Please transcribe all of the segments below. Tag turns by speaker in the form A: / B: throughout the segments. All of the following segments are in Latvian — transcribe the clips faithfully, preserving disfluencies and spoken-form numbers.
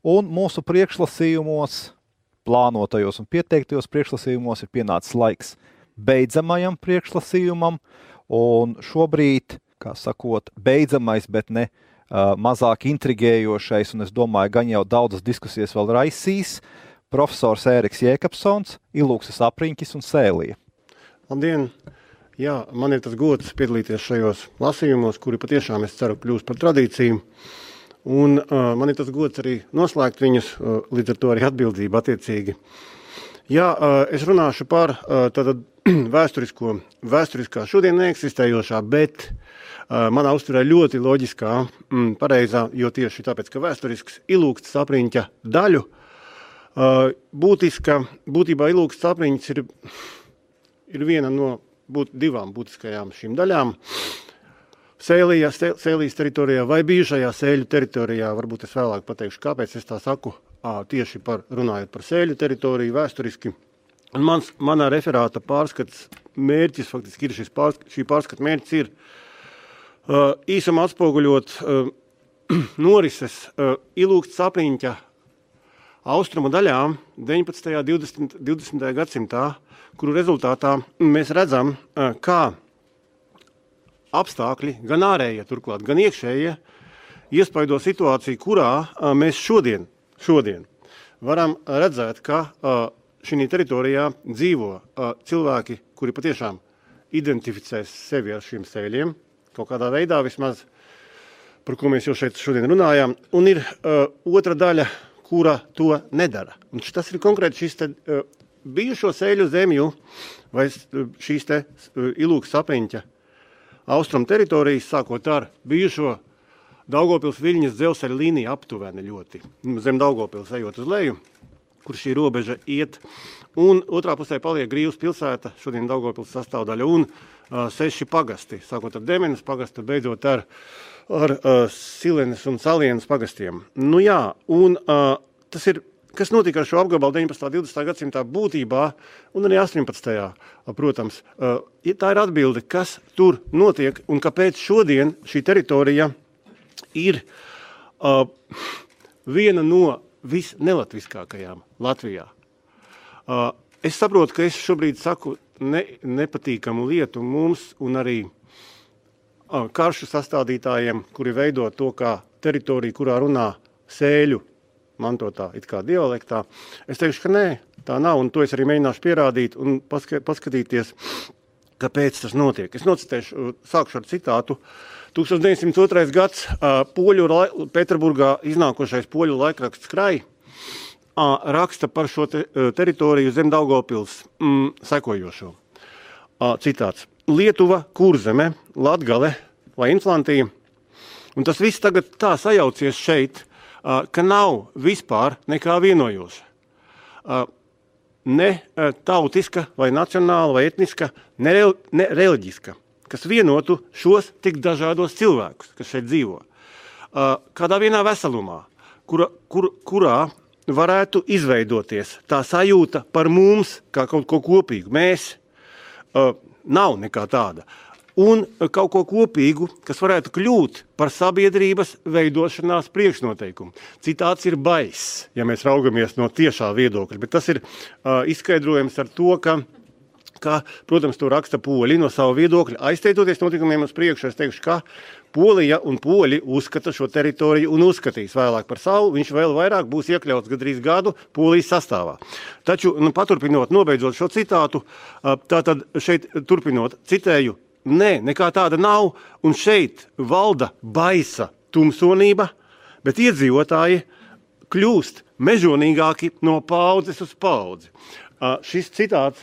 A: Un mūsu priekšlasījumos, plānotajos un pieteiktajos priekšlasījumos ir pienācis laiks beidzamajam priekšlasījumam, un šobrīd, kā sakot, beidzamais, bet ne uh, mazāk intrigējošais, un es domāju, gan jau daudzas diskusijas vēl raisīs, profesors Ēriks Jēkabsons, Ilūkses apriņķis un sēlija.
B: Labdien! Jā, man ir tas gods piedalīties šajos lasījumos, kuri patiešām, es ceru, kļūs par tradīciju. Un uh, man ir tas gods arī noslēgt viņus, uh, līdz ar to arī atbildību attiecīgi. Jā, uh, es runāšu par uh, tātad vēsturisko, vēsturiskā šodien neeksistējošā, bet uh, manā uzturē ļoti loģiskā, mm, pareizā, jo tieši tāpēc, ka vēsturisks Ilūkses apriņķa daļu, uh, būtiska, būtībā Ilūkses apriņķis ir, ir viena no būt, divām būtiskajām šīm daļām. Sēlijā, Sēlijas teritorijā vai bijušajā Sēļu teritorijā, varbūt es vēlāk pateikšu, kāpēc es tā saku, ā, tieši par, runājot par Sēļu teritoriju vēsturiski. Un mans, manā referāta pārskats mērķis, faktiski ir šis pārskats, šī pārskata mērķis ir uh, īsumā atspoguļot uh, norises uh, Ilūkses apriņķa austrumu daļām deviņpadsmitajā un divdesmitajā gadsimtā, kuru rezultātā mēs redzam, uh, kā apstākļi, gan ārējie turklāt, gan iekšējie, iespaido situāciju, kurā a, mēs šodien, šodien varam redzēt, ka a, šī teritorijā dzīvo a, cilvēki, kuri patiešām identificēs sevi ar šiem sēļiem, kaut kādā veidā vismaz, par ko mēs jau šeit šodien runājām, un ir a, otra daļa, kura to nedara. Un tas ir konkrēti šis te a, bijušo sēļu zemju vai šīs te Ilūkses apriņķa Austrum teritorijas, sākot ar bijušo Daugavpils-Viļņas dzelzceļa līniju aptuveni ļoti, zem Daugavpils ejot uz leju, kur šī robeža iet, un otrā pusē paliek Grīvas pilsēta, šodien Daugavpils sastāvdaļa, un uh, seši pagasti, sākot ar Demenes pagastu, beidzot ar, ar uh, Silenes un Salienas pagastiem. Nu jā, un uh, tas ir, kas notika ar šo apgabalu deviņpadsmitā un divdesmitā gadsimtā būtībā, un arī astoņpadsmitajā protams, tā ir atbilde, kas tur notiek un kāpēc šodien šī teritorija ir uh, viena no visnelatviskākajām Latvijā. Uh, es saprotu, ka es šobrīd saku ne, nepatīkamu lietu mums un arī uh, karšu sastādītājiem, kuri veido to kā teritoriju, kurā runā sēļu mantotā, it kā dialektā. Es teikšu, ka nē, tā nav, un to es arī mēģināšu pierādīt un paska, paskatīties, kāpēc tas notiek. Es nocitēšu, sākšu ar citātu. tūkstoš deviņsimt otrais gads, poļu, Pēterburgā iznākošais poļu laikraksts Krai raksta par šo te, teritoriju zem Daugavpils mm, sekojošo. Citāts. Lietuva, Kurzeme, Latgale vai Inflantija, un tas viss tagad tā sajaucies šeit, ka nav vispār nekā vienojoša. Ne tautiska vai nacionāla vai etniska, ne, re, ne reliģiska, kas vienotu šos tik dažādos cilvēkus, kas šeit dzīvo. Kādā vienā veselumā, kura, kur, kurā varētu izveidoties tā sajūta par mums kā kaut ko kopīgu. Mēs nav nekā tāda. Un kaut ko kopīgu, kas varētu kļūt par sabiedrības veidošanās priekšnoteikumu. Citāts ir baiss, ja mēs raugamies no tiešā viedokļa, bet tas ir uh, izskaidrojams ar to, ka, ka, protams, to raksta poļi no savu viedokļa. Aizteitoties notikumiem uz priekšu, es teikšu, ka Polija un poļi uzskata šo teritoriju un uzskatīs vēlāk par savu, viņš vēl vairāk būs iekļauts gadrīz gadu Polijas sastāvā. Taču, nu, paturpinot, nobeidzot šo citātu, uh, tātad šeit turpinot, citēju, nē, nekā tāda nav, un šeit valda baisa tumsonība, bet iedzīvotāji kļūst mežonīgāki no paudzes uz paudzi. Uh, šis citāts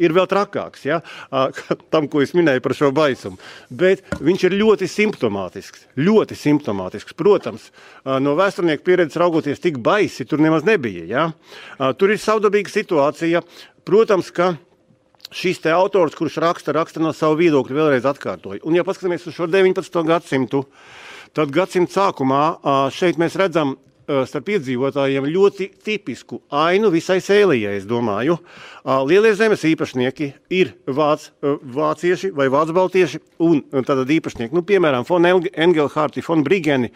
B: ir vēl trakāks, ja, uh, tam, ko es minēju par šo baisumu, bet viņš ir ļoti simptomātisks, ļoti simptomātisks. Protams, uh, no vēsturnieku pieredzes raugoties tik baisi tur nemaz nebija, ja. Uh, tur ir savdabīga situācija, protams, ka šis te autors, kurš raksta, raksta no savu viedokļu, vēlreiz atkārtoju. Un ja paskatāmies uz šo deviņpadsmito gadsimtu, tad gadsimta sākumā šeit mēs redzam starp iedzīvotājiem ļoti tipisku ainu visai Sēlijai, es domāju. Lielie zemes īpašnieki ir vāc, vācieši vai vācbaltieši un tātad īpašnieki, nu, piemēram, von Engelhārti, von Brigeni,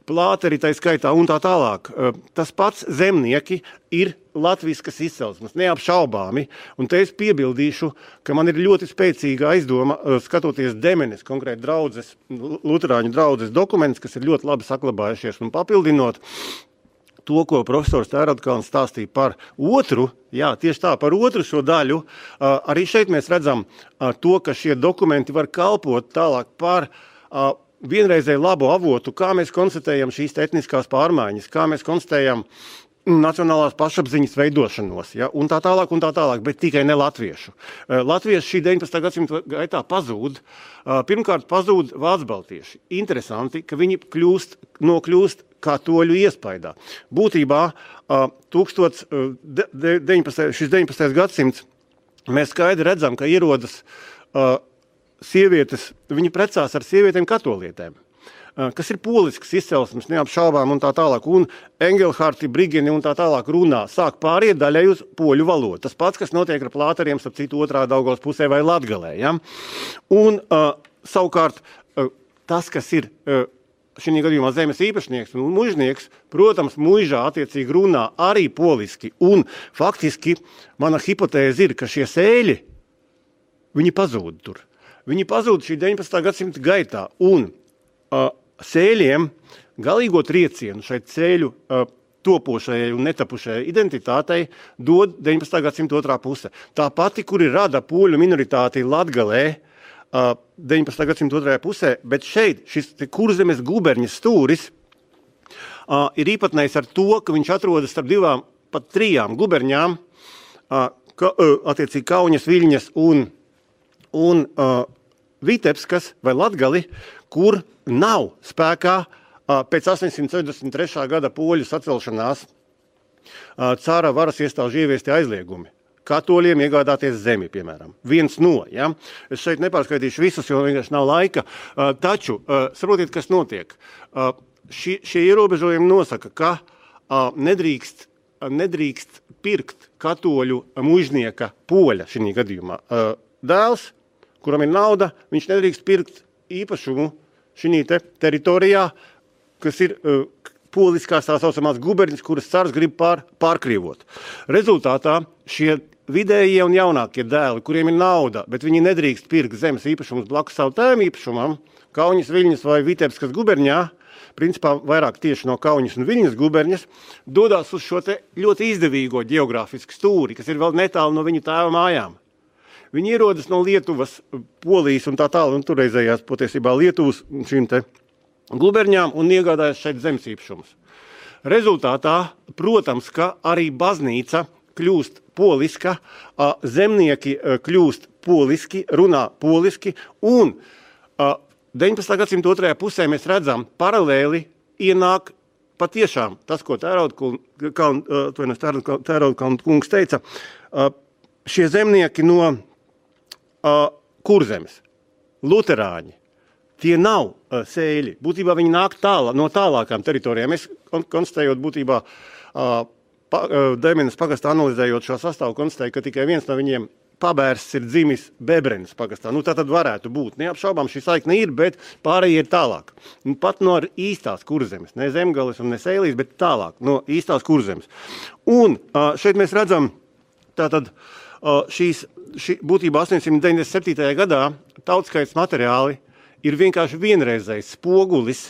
B: plāteri tai skaitā un tā tālāk. Tas pats zemnieki ir latviskas izcelsmes, neapšaubāmi. Un te es piebildīšu, ka man ir ļoti spēcīga aizdoma, skatoties Demenes, konkrēti draudzes, luterāņu draudzes dokumentus, kas ir ļoti labi saklabājušies un papildinot to, ko profesors Tērodkalns stāstīja par otru, jā, tieši tā, par otru šo daļu, arī šeit mēs redzam to, ka šie dokumenti var kalpot tālāk par vienreizēju labu avotu, kā mēs konstatējam šīs etniskās pārmaiņas, kā mēs konstatējam nacionālās pašapziņas veidošanos, ja, un tā tālāk, un tā tālāk, bet tikai ne latviešu. Latvieši šī deviņpadsmitā gadsimta gaitā pazūd. Pirmkārt, pazūd vācbaltieši. Interesanti, ka viņi kļūst, nokļūst katoļu iespaidā. Būtībā tūkstots, deviņpadsmitais, šis deviņpadsmitais gadsimts mēs skaidri redzam, ka ierodas sievietes, viņi precās ar sievietēm katolietēm, kas ir polisks izcelsmes, neapšaubām un tā tālāk, un Engelharti, Brigeni un tā tālāk runā, sāk pāriet daļai uz poļu valodu. Tas pats, kas notiek ar plāteriem, starp citu otrā Daugavas pusē vai Latgalē. Ja? Un uh, savukārt uh, tas, kas ir uh, šī gadījumā zemes īpašnieks un mužnieks, protams, muižā attiecīgi runā arī poliski, un faktiski mana hipotēze ir, ka šie sēļi, viņi pazūd tur. Viņi pazūd šī deviņpadsmitā gadsimta gaitā, un uh, sēļiem galīgo triecienu šai ceļu uh, topošajai un netapušajai identitātei dod deviņpadsmitā gadsimta otrā puse. Tā pati, kuri rada poļu minoritāti Latgalē uh, deviņpadsmitā gadsimta otrajā pusē, bet šeit šis Kurzemes guberņas stūris uh, ir īpatnējs ar to, ka viņš atrodas starp divām, pat trijām guberņām, uh, ka, uh, attiecīgi Kauņas, Viļņas un, un uh, Vitebskas vai Latgali, kur nav spēkā pēc astoņsimt sešdesmit trešā gada poļu sacelšanās cara varas iestāžu ieviesti aizliegumi. Katoļiem iegādāties zemi, piemēram. Viens no, ja? Es šeit nepārskaitīšu visus, jo vienkārši nav laika. Taču, saprotiet, kas notiek. Šie, šie ierobežojumi nosaka, ka nedrīkst, nedrīkst pirkt katoļu mužnieka poļa šī gadījumā. Dēls, kuram ir nauda, viņš nedrīkst pirkt īpašumu šī te teritorijā, kas ir uh, poliskās tā saucamās guberņas, kuras cars grib pār, pārkrievot. Rezultātā šie vidējie un jaunākie dēli, kuriem ir nauda, bet viņi nedrīkst pirkt zemes īpašumus blakus savu tēmu īpašumam, Kauņas, Viļņas vai Vitebskas guberņā, principā vairāk tieši no Kauņas un Viļņas guberņas, dodās uz šo te ļoti izdevīgo ģeogrāfisku stūri, kas ir vēl netālu no viņu tēva mājām. Viņi ierodas no Lietuvas, Polijas un tā tālu, un turreizējās patiesībā Lietuvas šīm te guberņām un iegādājas šeit zemes īpašumus. Rezultātā, protams, ka arī baznīca kļūst poliska, zemnieki kļūst poliski, runā poliski, un deviņpadsmitā gadsimta otrajā pusē mēs redzam paralēli ienāk patiešām tas, ko Tērodkalna kungs teica, šie zemnieki no uh, Kurzemes, luterāņi, tie nav uh, sēļi. Būtībā viņi nāk tālā, no tālākām teritorijām. Es konstatējot būtībā uh, pa, uh, Demenes pagastā analizējot šo sastāvu, konstatēju, ka tikai viens no viņiem pabērsts ir dzimis Bebrenes pagastā. Nu, tā tad varētu būt. Neapšaubām šī saikne ir, bet pārējie ir tālāk. Nu, pat no īstās Kurzemes, ne Zemgales un ne Sēlīs, bet tālāk, no īstās Kurzemes. Un uh, šeit mēs redzam tātad šīs, šī, būtībā astoņsimt deviņdesmit septītajā gadā tautskaits materiāli ir vienkārši vienreizējs spogulis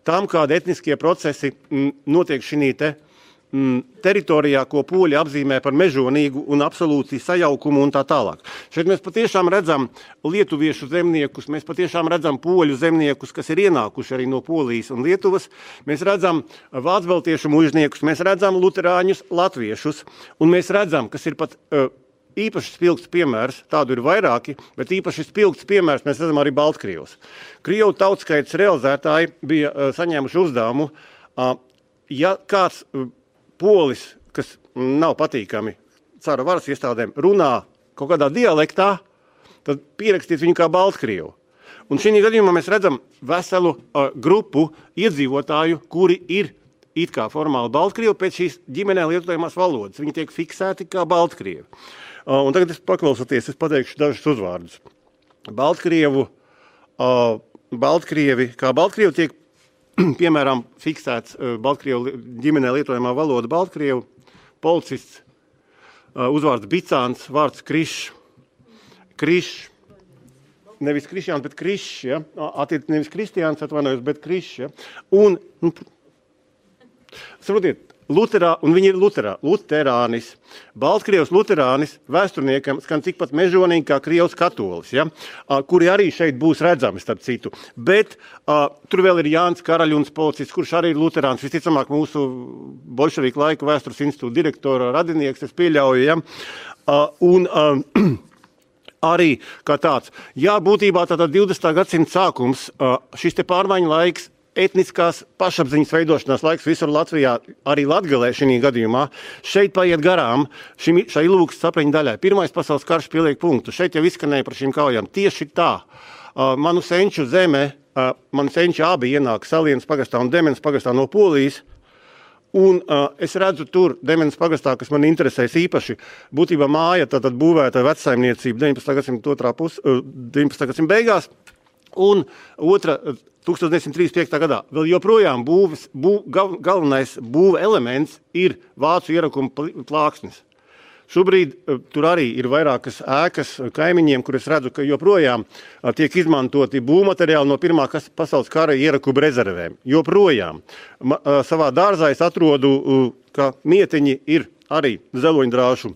B: tam, kādi etniskie procesi m, notiek šī te m, teritorijā, ko poļi apzīmē par mežonīgu un absolūti sajaukumu un tā tālāk. Šeit mēs patiešām redzam lietuviešu zemniekus, mēs patiešām redzam poļu zemniekus, kas ir ienākuši arī no Polijas un Lietuvas, mēs redzam vācbaltiešu mužniekus, mēs redzam luterāņus, latviešus, un mēs redzam, kas ir pat uh, īpaši spilgts piemērs, tādu ir vairāki, bet īpaši spilgts piemērs mēs redzam arī Baltkrievus. Krievu tautskaits realizētāji bija uh, saņēmuši uzdevumu, uh, ja kāds uh, polis, kas nav patīkami cara varas iestādēm, runā kaut kādā dialektā, tad pierakstīt viņu kā Baltkrievu. Un šī gadījumā mēs redzam veselu uh, grupu iedzīvotāju, kuri ir it kā formāli Baltkrievi pēc šīs ģimenē lietojamās valodas. Viņi tiek fiksēti kā Baltkrievi. Uh, un tagad es paklausoties, es pateikšu dažus uzvārdus. Baltkrievu, uh, Baltkrievi, kā Baltkrievi tiek piemēram, fiksēts Baltkrievu ģimenē lietojamā valoda Baltkrievu, policists, uzvārds Bicāns, vārds Krišs, Krišs, nevis Krišjāns, bet Krišs, ja? Attiec nevis Kristiāns, atvainojos, bet Krišs, ja? Un, nu, saprotiet, Luterā, un viņi ir Luterā, Luterānis. Baltkrievs Luterānis vēsturniekam skan tikpat mežonīgi kā Krievs katolis, ja? Kuri arī šeit būs redzami, starp citu. Bet uh, tur vēl ir Jānis Karaļuns, policists, kurš arī ir Luterāns, visticamāk mūsu bolševiku laika vēstures institūta direktora radinieks, es pieļauju, ja? Uh, un uh, arī kā tāds. Jā, būtībā tātad divdesmitā gadsimta sākums, uh, šis te pārmaiņu laiks, etniskās pašapziņas veidošanās laiks visur Latvijā, arī Latgalē šī gadījumā, šeit paiet garām šim, šai Ilūgas sapriņu daļai. Pirmais pasaules karš pieliek punktu. Šeit jau izskanēja par šīm kaujām. Tieši tā. Uh, manu senču zeme, uh, manu senču abi ienāk Salienas pagastā un Demenes pagastā no Polijas. Un uh, es redzu tur Demenes pagastā, kas man interesēs īpaši, būtībā māja tātad būvēta vecsaimniecība deviņpadsmitā gadsimta otrā pus, uh, deviņpadsmitā gadsimta beigās. Un otra, tūkstoš deviņsimt trīsdesmit piektā gadā, vēl joprojām būvis, bū, gal, galvenais būva elements ir vācu ierakuma plāksnes. Šobrīd uh, tur arī ir vairākas ēkas kaimiņiem, kur es redzu, ka joprojām uh, tiek izmantoti būvmateriāli no Pirmā pasaules kara ierakuba rezervēm. Joprojām. Ma, uh, savā dārzā es atrodu, uh, ka mietiņi ir arī zeloņdrāšu,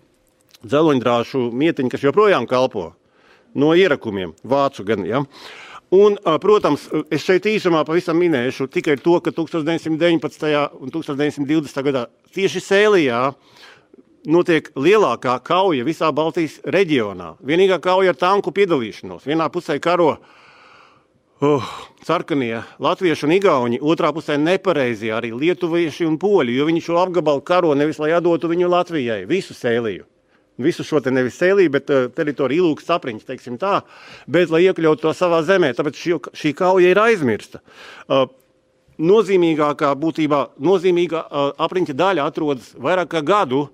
B: zeloņdrāšu mietiņi, kas joprojām kalpo no ierakumiem, vācu gan, ja. Un, protams, es šeit īsumā pavisam minēšu tikai to, ka tūkstoš deviņsimt deviņpadsmitajā un tūkstoš deviņsimt divdesmitā gadā tieši Sēlijā notiek lielākā kauja visā Baltijas reģionā. Vienīgā kauja ar tanku piedalīšanos. Vienā pusē karo uh, sarkanie latvieši un igauņi, otrā pusē nepareizie arī lietuvieši un poļi, jo viņi šo apgabalu karo nevis, lai atdotu viņu Latvijai, visu Sēliju. Visu šo te nevis Sēliju, bet uh, teritoriju Ilūgas sapriņas, teiksim tā, bet lai iekļautu to savā zemē, tāpēc šī, šī kauja ir aizmirsta. Uh, nozīmīgākā būtībā, nozīmīgā uh, apriņķa daļa atrodas vairāk kā gadu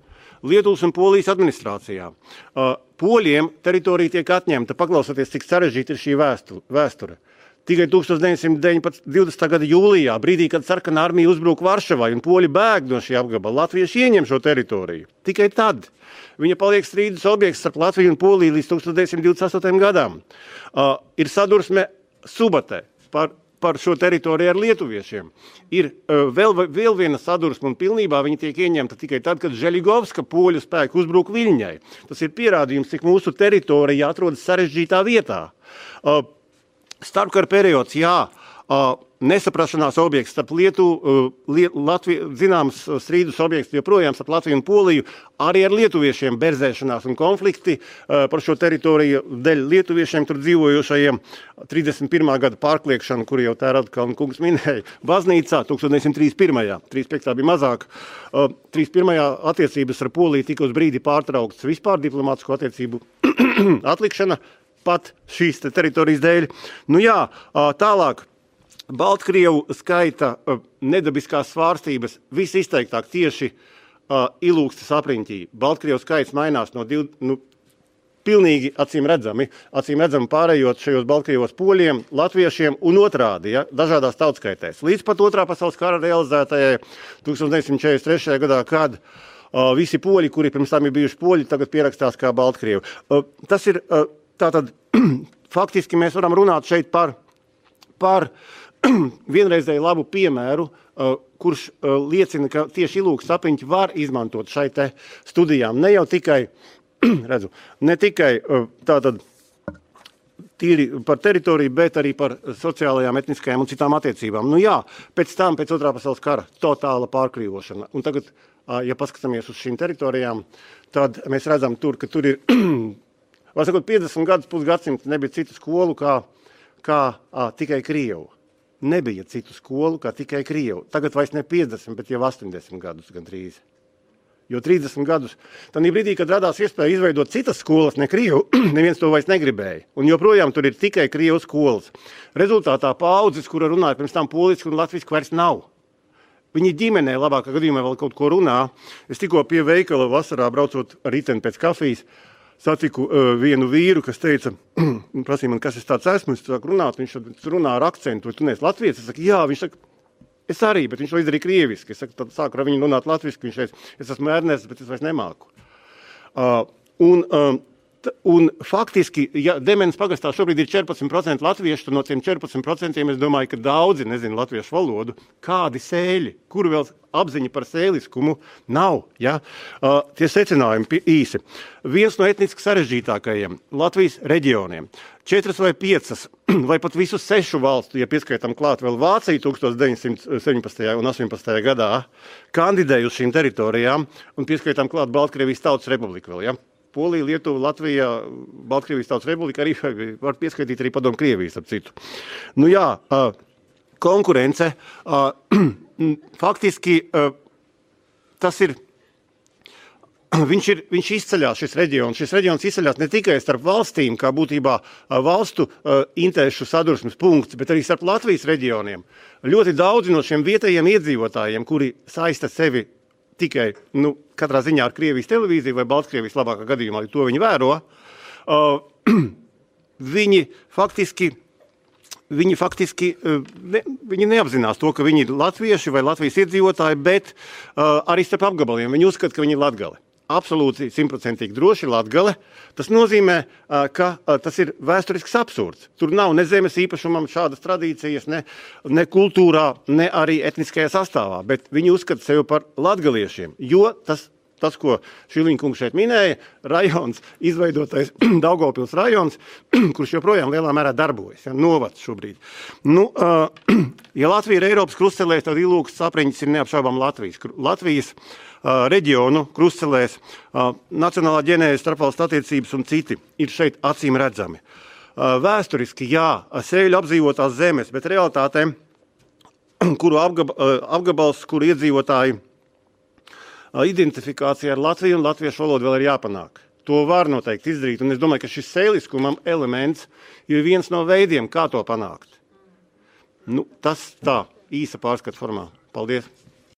B: Lietuvas un Polijas administrācijā. Uh, Poļiem teritorija tiek atņemta, paklausoties, cik sarežģīta ir šī vēsture. Tikai tūkstoš deviņsimt divdesmitā gada jūlijā, brīdī, kad sarkanā armija uzbruk Varšavai un poļi bēg no šī apgabala, latvieši ieņem šo teritoriju. Tikai tad viņa paliek strīdus objekts starp Latviju un Poliju līdz tūkstoš deviņsimt divdesmit astotajam gadam. Uh, ir sadursme Subatē par, par šo teritoriju ar lietuviešiem. Ir uh, vēl, vēl viena sadursme un pilnībā viņa tiek ieņemta tikai tad, kad Želigovska poļu spēki uzbruk Viļņai. Tas ir pierādījums, cik mūsu teritorija atrodas sarežģītā vietā. Uh, Starpkara periods, jā, uh, nesaprašanās objekts starp Lietuvu, uh, Liet, Latviju, zināms strīdus objekts joprojām starp Latviju un Poliju, arī ar lietuviešiem berzēšanās un konflikti uh, par šo teritoriju dēļ lietuviešiem tur dzīvojošajiem trīsdesmit pirmā gada pārkliekšanu, kur jau tā Radkalna kungs minēja, baznīcā tūkstoš deviņsimt trīsdesmit pirmajā, trīsdesmit piektā bija mazāk, uh, trīsdesmit pirmajā attiecības ar Poliju tika uz brīdi pārtrauktas vispār diplomātisko attiecību atlikšana, pat šīs te teritorijas dēļ. Nu jā, tālāk, Baltkrievu skaita nedabiskās svārstības visizteiktāk tieši Ilūgstas apriņķī. Baltkrievu skaits mainās no div, nu, pilnīgi acīm redzami, acīm redzami pārējot šajos Baltkrievos poļiem, latviešiem un otrādi, ja, dažādās tautskaitēs. Līdz pat otrā pasaules kara realizētajai tūkstoš deviņsimt četrdesmit trešajā gadā, kad uh, visi poļi, kuri pirms tam ir bijuši poļi, tagad pierakstās kā Baltkrievi. Uh, tas ir... Uh, Tātad, faktiski mēs varam runāt šeit par, par vienreizēju labu piemēru, uh, kurš uh, liecina, ka tieši Ilūgas sapriņķi var izmantot šai te studijām. Ne jau tikai, redzu, ne tikai uh, tātad tīri par teritoriju, bet arī par sociālajām, etniskajām un citām attiecībām. Nu jā, pēc tam, pēc otrā pasaules kara, totāla pārkrīvošana. Un tagad, uh, ja paskatāmies uz šīm teritorijām, tad mēs redzam tur, ka tur ir... Var sakot, piecdesmit gadus pusgadsimta nebija citu skolu kā, kā ā, tikai Krievu. Nebija citu skolu kā tikai Krievu. Tagad vairs ne piecdesmit, bet jau astoņdesmit gadus gandrīz. Jo trīsdesmit gadus, tad brīdī, kad radās iespēja izveidot citas skolas, ne Krievu, neviens to vairs negribēja. Un joprojām tur ir tikai Krievu skolas. Rezultātā paaudzes, kura runāja pirms tam poliski un latviski, vairs nav. Viņi ģimenē labākā gadījumā vēl kaut ko runā. Es tikko pie veikala vasarā braucot riteni pēc kafijas, satiku uh, vienu vīru, kas teica, prasīja man, kas es tāds esmu, es sāku runāt, viņš runā ar akcentu, vai tu neesi latvietis? Es saku, jā, viņš saka, Es arī, bet viņš to izdarīja krieviski. Es saku, tad sāku ar viņu runāt latviski, viņš teica, es esmu Ernests, bet es vairs nemāku. Uh, un, um, Un faktiski, ja Demenes pagastā šobrīd ir četrpadsmit procenti latviešu, tad no tiem četrpadsmit procentiem es domāju, ka daudzi nezina latviešu valodu. Kādi sēļi, kuru vēl apziņa par sēliskumu nav. Ja? Uh, tie secinājumi īsi. Viens no etniski sarežģītākajiem Latvijas reģioniem. Četras vai piecas, vai pat visu sešu valstu, ja pieskaitām klāt vēl Vāciju tukstovs deviņsimt septiņpadsmitajā un astoņpadsmitajā gadā, kandidēja uz šīm teritorijām un pieskaitām klāt Baltkrievijas Tautas Republiku vēl, ja? Polija, Lietuva, Latvija, Baltkrievijas Tautas Republika, arī var pieskaitīt arī padomu Krievijas, ap citu. Nu jā, konkurence, faktiski tas ir, viņš ir, viņš izceļās šis reģions. Šis reģions izceļās ne tikai starp valstīm, kā būtībā valstu interešu sadursmes punkts, bet arī starp Latvijas reģioniem. Ļoti daudzi no šiem vietējiem iedzīvotājiem, kuri saista sevi tikai, nu, katrā ziņā ar Krievijas televīziju vai Baltkrievijas labākā gadījumā, to viņi vēro, uh, viņi faktiski, viņi faktiski, uh, ne, viņi neapzinās to, ka viņi ir latvieši vai Latvijas iedzīvotāji, bet uh, arī starp apgabaliem viņi uzskata, ka viņi ir latgali. Absolūti simtprocentīgi droši Latgale. Tas nozīmē, ka tas ir vēsturisks absurds. Tur nav ne zemes īpašumam šādas tradīcijas, ne, ne kultūrā, ne arī etniskajā sastāvā, bet viņi uzskata sevi par latgaliešiem, jo tas, tas ko Šiliņkungs šeit minēja, rajons, izveidotais Daugavpils rajons, kurš joprojām lielā mērā darbojas, ja, novads šobrīd. Nu, ja Latvija ir Eiropas krustcelēs, tad Ilūgas sapriņķis ir neapšaubām Latvijas. Latvijas Uh, reģionu krustcelēs, uh, nacionālā ģenēze, starpvalstu attiecības un citi ir šeit acīm redzami. Uh, vēsturiski, jā, sēļu apdzīvotās zemes, bet realitātē, kuru apgab, uh, apgabals, kuru iedzīvotāji uh, identifikācija ar Latviju un latviešu valodu vēl ir jāpanāk. To var noteikti izdarīt, un es domāju, ka šis sēliskumam elements ir viens no veidiem, kā to panākt. Nu, tas tā, īsa pārskata formā. Paldies!